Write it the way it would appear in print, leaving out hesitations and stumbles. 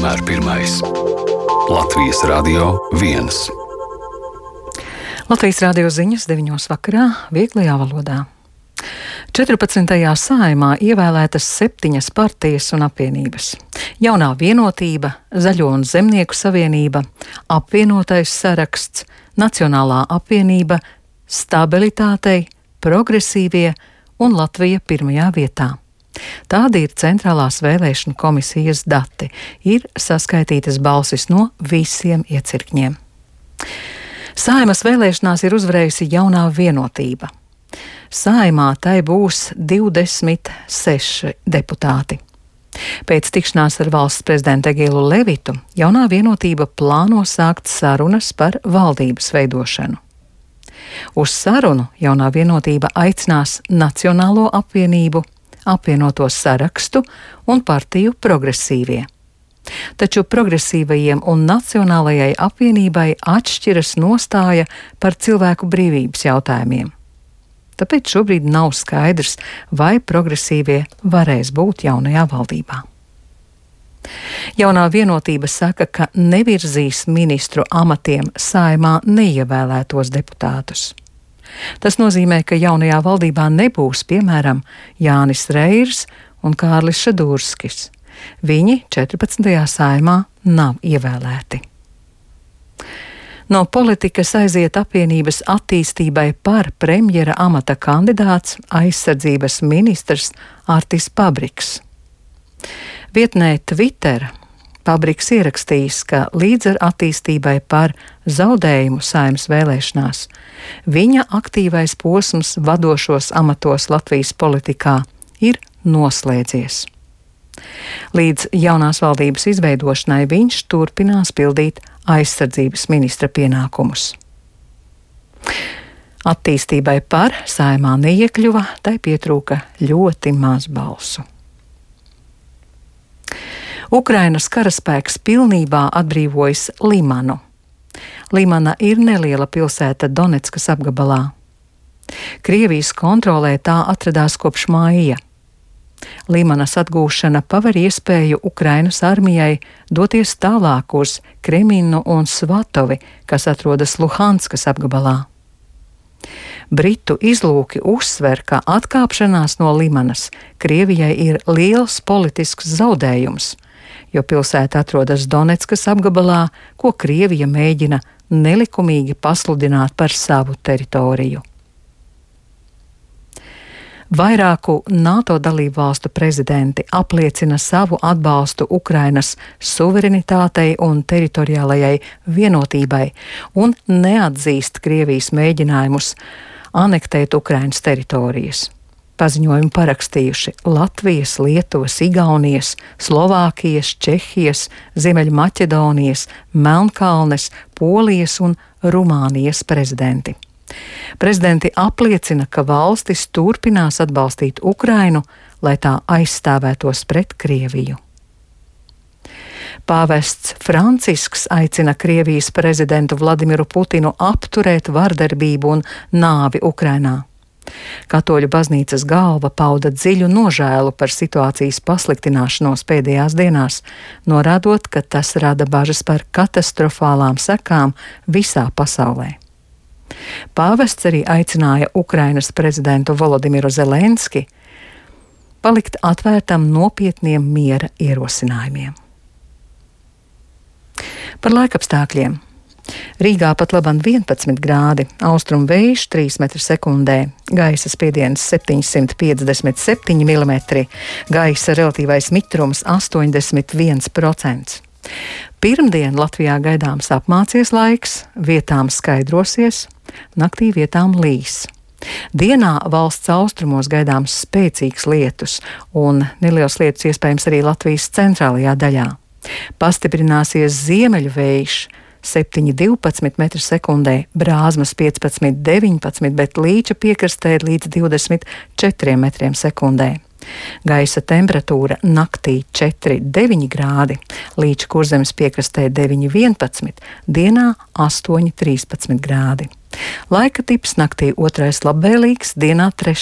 vienmēr pirmais. Latvijas Radio 1. Latvijas radio ziņas 9. vakarā vieglajā valodā. 14. Saeimā ievēlētas 7 partijas un apvienības. Jaunā vienotība, Zaļo un Zemnieku savienība, apvienotais saraksts, Nacionālā apvienība, Stabilitātei, Progresīvie un Latvija pirmajā vietā. Tādi ir centrālās vēlēšanu komisijas dati. Ir saskaitītas balsis no visiem iecirkņiem. Saeimas vēlēšanās ir uzvarējusi Jaunā vienotība. Saeimā tai būs 26 deputāti. Pēc tikšanās ar valsts prezidentu Egilu Levitu, Jaunā vienotība plāno sākt sarunas par valdības veidošanu. Uz sarunu Jaunā vienotība aicinās Nacionālo apvienību, apvienoto sarakstu un partiju Progresīvie. Taču progresīvajiem un Nacionālajai apvienībai atšķiras nostāja par cilvēku brīvības jautājumiem. Tāpēc šobrīd nav skaidrs, vai progresīvie varēs būt jaunajā valdībā. Jaunā vienotība saka, ka nevirzīs ministru amatiem Saeimā neievēlētos deputātus. Tas nozīmē, ka jaunajā valdībā nebūs, piemēram, Jānis Reirs un Kārlis Šadūrskis. Viņi 14. Saeimā nav ievēlēti. No politikas aiziet apvienības attīstībai par premjera amata kandidāts aizsardzības ministrs Artis Pabriks. Vietnē Twitter Pabriks ierakstījis, ka līdz ar attīstībai par zaudējumu Saeimas vēlēšanās viņa aktīvais posms vadošos amatos Latvijas politikā ir noslēdzies. Līdz jaunās valdības izveidošanai viņš turpinās pildīt aizsardzības ministra pienākumus. Attīstībai par Saeimā neiekļuva, tai pietrūka ļoti maz balsu. Ukrainas karaspēks pilnībā atbrīvojis Limanu. Limana ir neliela pilsēta Doneckas apgabalā. Krievijas kontrolē tā atradās kopš māja. Limanas atgūšana paver iespēju Ukrainas armijai doties tālāk uz Kreminu un Svatovi, kas atrodas Luhanskas apgabalā. Britu izlūki uzsver, ka atkāpšanās no Limanas Krievijai ir liels politisks zaudējums, jo pilsēta atrodas Doneckas apgabalā, ko Krievija mēģina nelikumīgi pasludināt par savu teritoriju. Vairāku NATO dalību valstu prezidenti apliecina savu atbalstu Ukrainas suverenitātei un teritoriālajai vienotībai un neatzīst Krievijas mēģinājumus anektēt Ukrainas teritorijas. Paziņojumu parakstījuši Latvijas, Lietuvas, Igaunijas, Slovākijas, Čehijas, Ziemeļmaķedonijas, Melnkalnes, Polijas un Rumānijas prezidenti. Prezidenti apliecina, ka valstis turpinās atbalstīt Ukrainu, lai tā aizstāvētos pret Krieviju. Pāvests Francisks aicina Krievijas prezidentu Vladimiru Putinu apturēt vardarbību un nāvi Ukrainā. Katoļu baznīcas galva pauda dziļu nožēlu par situācijas pasliktināšanos pēdējās dienās, norādot, ka tas rada bažas par katastrofālām sekām visā pasaulē. Pāvests arī aicināja Ukrainas prezidentu Volodimiru Zelenski palikt atvērtam nopietniem miera ierosinājumiem. Par laikapstākļiem. Rīgā pat labam 11 grādi, austrumu vējš 3 m/sekundē, gaisa spiediens 757 mm, gaisa relatīvais mitrums 81%. Pirmdien Latvijā gaidāms apmācies laiks, vietām skaidrosies, naktī vietām līs. Dienā valsts austrumos gaidāms spēcīgs lietus un neliels lietus iespējams arī Latvijas centrālajā daļā. Pastiprināsies ziemeļu vējš 7,12 m/sekundē, Brāzmas 15,19, bet Līča piekrastē līdz 24 m/sekundē. Gaisa temperatūra naktī 4,9 grādi, Līča Kurzemes piekrastē 9,11, dienā 8,13 grādi. Laika tips naktī 2. labvēlīgs, dienā 3.